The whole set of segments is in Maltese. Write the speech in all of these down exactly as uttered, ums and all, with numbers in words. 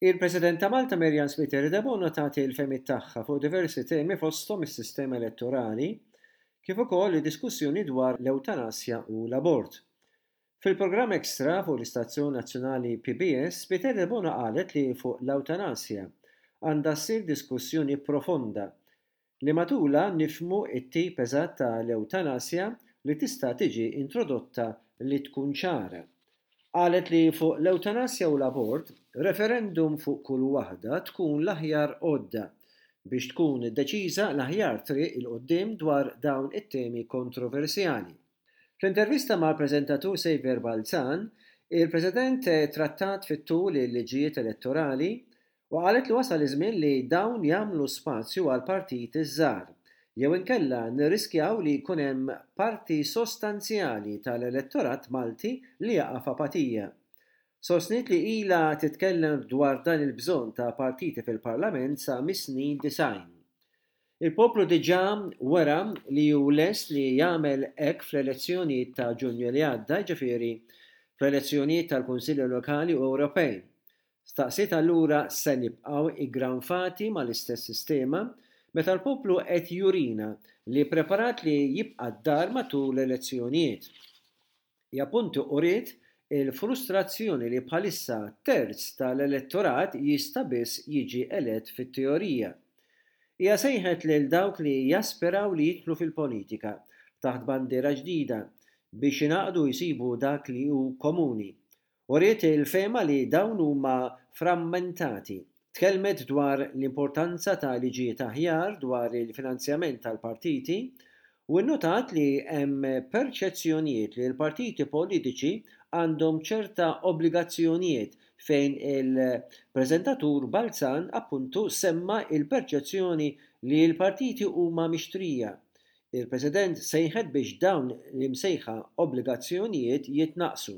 Il-President ta' Malta Marianne Spiteri Debono tagħti l-fehmiet tagħha fuq diversi temi fosthom is-sistema elettorali kif ukoll id-diskussjoni dwar l-ewtanasja u l-abort. Fil-programm Extra fuq l-Istazzjon Nazzjonali P B S, Spiteri Debono qalet li fuq l-ewtanasja għandha ssir diskussjoni profonda li matula nifhmu it-tip eżatt tal-ewtanasja li tista' tiġi introdotta li tkun ċara. Qalet li fuq l-ewtanasja u l-abort, referendum fuq kull waħda tkun l-aħjar għodda biex tkun deċiża l-aħjar triq 'il quddiem dwar dawn it-temi kontroversjali. Fl-intervista mal-preżentatur Saviour Balzan, il-President trattat fit-tul il-liġijiet elettorali u qalet li wasal iż-żmien li dawn jagħmlu spazju għal partiti żgħar jew inkella nirriskjaw li jkun hemm parti sostanzjali tal-elettorat Malti li jaqa' f'apatija. Sostniet li ila titkellem dwar dan il-bżonn ta' partiti fil-Parlament sa mis-snin disgħin. Il-poplu diġà wera li hu lest li jagħmel hekk fl-elezzjonijiet ta' Ġunju li għadda, ġifieri fl-elezzjonijiet tal-Kunsilli Lokali u Ewropej. Staqsiet allura se nibqgħu iggranfati mal-istess sistema meta l-poplu qed jurina li preparat li jibqa' d-dar matul l-elezzjonijiet. Hija appuntu uriet il-frustrazzjoni li bħalissa terz tal-elettorat jista' biss jiġi elett fit-teorija. Hija sejħet lil dawk li jaspiraw li jidħlu fil-politika taħt bandiera ġdida biex jingħaqdu jsibu dak li hu komuni. Uriet il-fehma li dawn huma frammentati. Tkellmet dwar l-importanza ta' liġijiet aħjar dwar il-finanzjament tal-partiti u nnotat li hemm perċezzjonijiet li l-partiti politiċi għandhom ċerta obbligazzjonijiet, fejn il-preżentatur Balzan appuntu semma il-perċezzjoni li l-partiti huma mixtrija. Il-President sejħet biex dawn l-imsejħa obbligazzjonijiet jitnaqsu.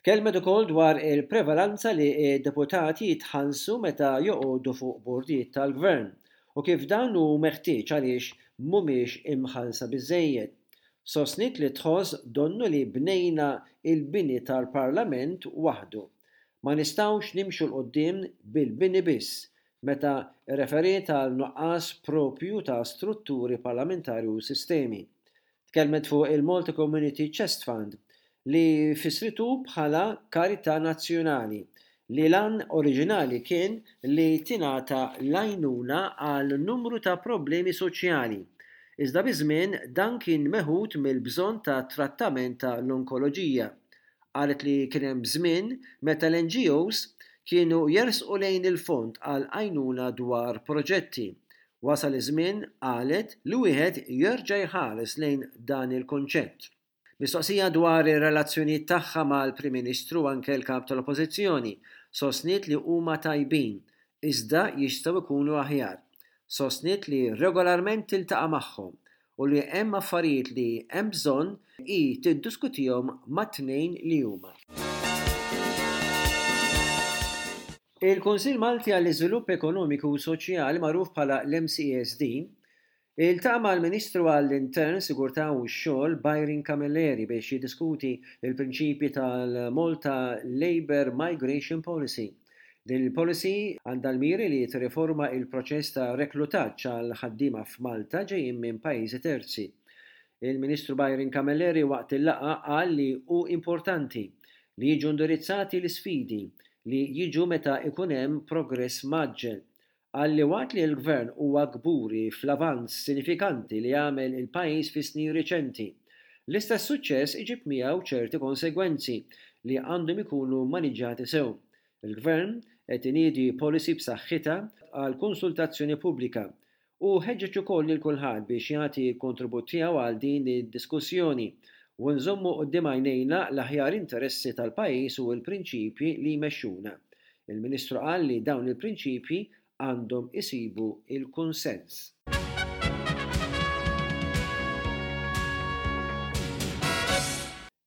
Tkellmet ukoll dwar il-prevalanza li d-deputati jitħallsu meta joqogħdu fuq bordijiet tal-gvern u kif dan hu meħtieġ għaliex mhumiex imħallsa biżejjed. Sostniet li tħoss donnu li bnejna il-bini tal-Parlament waħdu. Ma nistgħux nimxu 'l quddiem bil-bini biss, meta referiet għal nuqqas propju ta' strutturi parlamentari u sistemi. Tkellmet fuq il-Malta Community Chest Fund li fisritu bħala karità nazzjonali li l-għan oriġinali kien li tingħata l-għajnuna għal numru ta' problemi soċjali. Iżda biż-żmien dan kien meħud mill-bżonn ta' trattament ta' l-onkoloġija. Qalet li kien hemm żmien meta l-N G Os kienu jersqu lejn il-fond għal għajnuna dwar proġetti. Wasal iż-żmien, qalet, li wieħed jerġa' jħares lejn dan il-konċett. Mistoqsija dwar ir-relazzjonijiet tagħha mal-Prim Ministru, anke l-kap tal-Oppożizzjoni, sostniet li huma tajbin, iżda jistgħu jkunu aħjar. Sostniet li regolarment tiltaqa' magħhom u li hemm affarijiet li hemm bżonn i tiddiskutihom mat-tnejn li huma. Il-Kunsill Malti għall-Iżvilupp Ekonomiku u Soċjali, magħruf bħala l-M C E S D, iltaqa' mal-Ministru għall-Intern, Sigurtà u x-Xogħol Byron Camilleri biex jiddiskuti il-prinċipji tal-Malta Labour Migration Policy. Din il-policy għandha l-miri li tirriforma il-proċess ta' reklutaġġ għal ħaddiema f'Malta ġejjin minn pajjiżi terzi. Il-Ministru Byron Camilleri waqt il-laqgħa qal li hu importanti li jiġu indirizzati l-isfidi li jiġu meta ikun hemm progress mgħaġġel. Qal li waqt li l-gvern huwa kburi fl-avanz sinifikanti li għamel il-pajjiż fi snin riċenti, l-istess suċċess iġib miegħu ċerti konsegwenzi li għandhom ikunu maniġġati sew. Il-gvern qed iniedi policy b'saħħitha għal konsultazzjoni pubblika u ħeġġeġ ukoll lil kulħadd biex jagħti l-kontribut tiegħu għal din id-diskussjoni u nżommu quddiem għajnejna l-aħjar interessi tal-pajjiż u l-prinċipji li jmexxuna. Il-Ministru qal li dawn il-prinċipji għandhom isibu il-kunsens.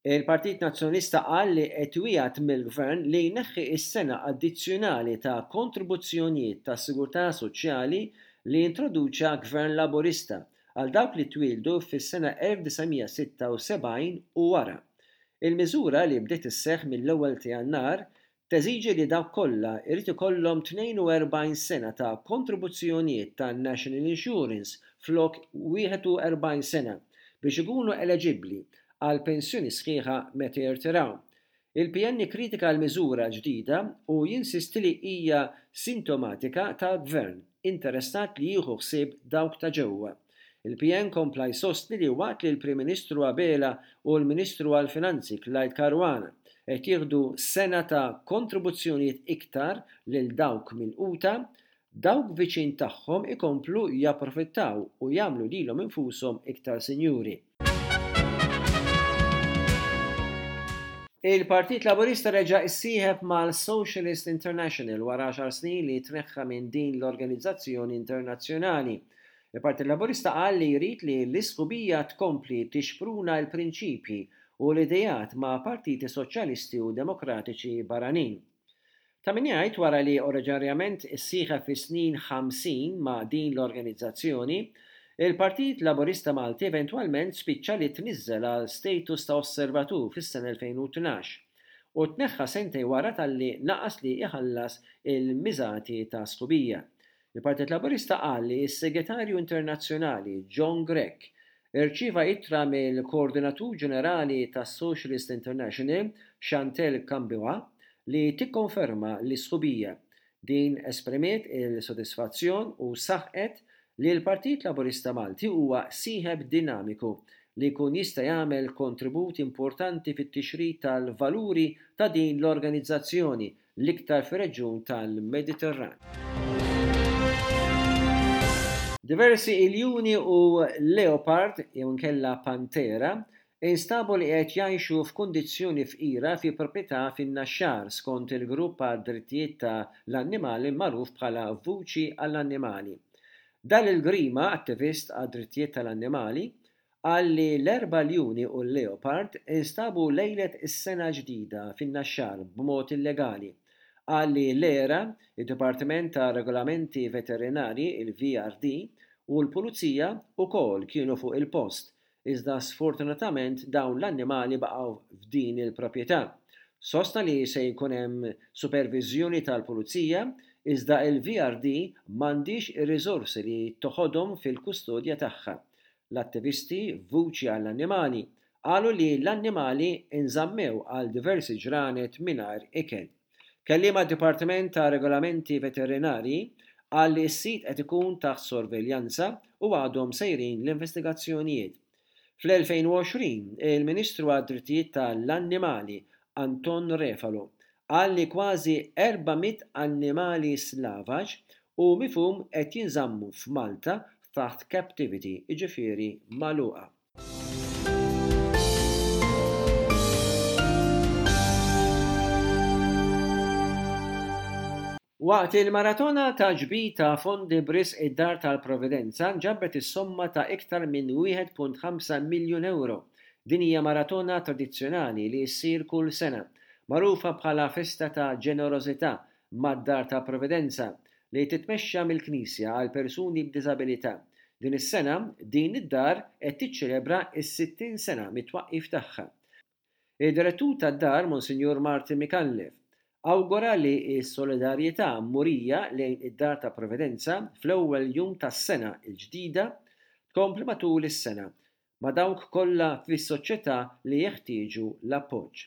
Il-Partit Nazzjonalista qal li qed iwiegħed mill-Gvern li jneħħi s-sena addizzjonali ta' kontribuzzjonijiet ta' sigurtà soċjali li introduċa Gvern Laburista għal dawk li twildu fis-sena elf disa' mija sitta u sebgħin u wara. Il-miżura, li bdiet isseħħ mill-ewwel ta' Jannar, teżiġi li dawk kollha jrid ikollhom tnejn u erbgħin sena ta' kontribuzzjonijiet ta' National Insurance flok wieħed u erbgħin sena biex ikunu eleġibbli għal pensjoni sħiħa meta jirtiraw. Il-P N ikkritika l-miżura ġdida u jinsisti li hija sintomatika ta' gvern interessat li jieħu ħsieb dawk ta' ġewwa. Il-P N kompla jsostni li waqt li l-Prim Ministru Abela u l-Ministru għall-Finanzi Clyde Caruana qed jieħdu sena ta' kontribuzzjonijiet iktar lil dawk milquta, dawk viċin tagħhom ikomplu japprofittaw u jagħmlu lilhom infushom iktar sinjuri. Il-Partit Laburista reġa' issieħeb mal-Socialist International wara għaxar snin li tneħħa minn din l-organizzazzjoni internazzjonali. Il-Partit Laburista qal li jrid li l-isħubija tkompli tixpruna l-prinċipji u l-ideat ma' partiti soċjalisti u demokratiċi barranin. Ta' min jgħid, wara li oriġinarjament issieħeb fi snin ħamsin ma' din l-organizzazzjoni, il-Partit Laburista Malti eventwalment spiċċa li tniżżel għal status ta' osservatur fis-sena elfejn u tnax u tneħħa sentejn wara talli naqas li iħallas il-miżati ta' sħubija. Il-Partit Laburista qal li s-Segretarju Internazzjonali John Grech irċieva ittra mill-Koordinatur Ġenerali tas-Socialist International Chantal Kambiwa li tikkonferma l-isħubija. Din esprimiet il-sodisfazzjon u saħqet li l-Partit Laburista Malti huwa sieħeb dinamiku li jkun jista' jagħmel kontribut importanti fit-tixrid tal-valuri ta' din l-organizzazzjoni, l-iktar fir-reġjun tal-Mediterran. Diversi iljuni u leopard jew inkella pantera instabu li qed jgħixu f'kundizzjoni fqira fi proprjetà fin-Naxxar, skont il-grupp għad-drittijiet ta' l-annimali magħruf bħala Vuċi għall-Annimali. Dal il-Grima, attivist għad-drittijiet tal-annimali, qal li l-erba' ljuni u l-leopard instabu lejlet is-sena ġdida fin-Naxxar b'mod illegali. Qal li l-ERA, id-Dipartiment ta' Regolamenti Veterinari, il-V R D, u l-Pulizija wkoll kienu fuq il-post, iżda sfortunatament dawn l-annimali baqgħu f'din il-proprjetà. Sostna li se jkun hemm supervizjoni tal-Pulizija, iżda il-V R D m'għandix ir-riżorsi li toħodhom fil-kustodja tagħha. L-attivisti Vuċi għall-Annimali qalu li l-annimali inżammew għal diversi ġranet mingħajr ikel. Kelliem għad-Dipartiment ta' Regolamenti Veterinari qal li s-sit qed ikun taħt sorveljanza u għadhom sejrin l-investigazzjonijiet. Fl-elfejn u għoxrin, il-Ministru għad-Drittijiet tal-Annimali Anton Refalo qal li kważi erba' mitt annimali slavaġ u mifhum qed jinżammu f'Malta taħt captivity, jiġifieri magħluqa. Waqt il-maratona ta' ġbir ta' fondi b'risq id-Dar tal-Providenza nġabret is-somma ta' iktar minn wieħed punt ħamsa miljun euro. Din hija maratona tradizzjonali li ssir kull sena, magħrufa bħala festa ta' ġenerożità mad-Dar tal-Providenza li titmexxa mill-Knisja għal persuni b'diżabilità. Din is-sena din id-dar qed tiċċelebra s-sittin sena mit-twaqqif tagħha. Id-direttur tad-dar, Monsinjur Martin Micallef, awgura li s-solidarjetà murija lejn id-Dar ta' Providenza fl-ewwel jum tas-sena l-ġdida tkompli matul is-sena ma' dawk kollha fis-soċjetà li jeħtieġu l-appoġġ.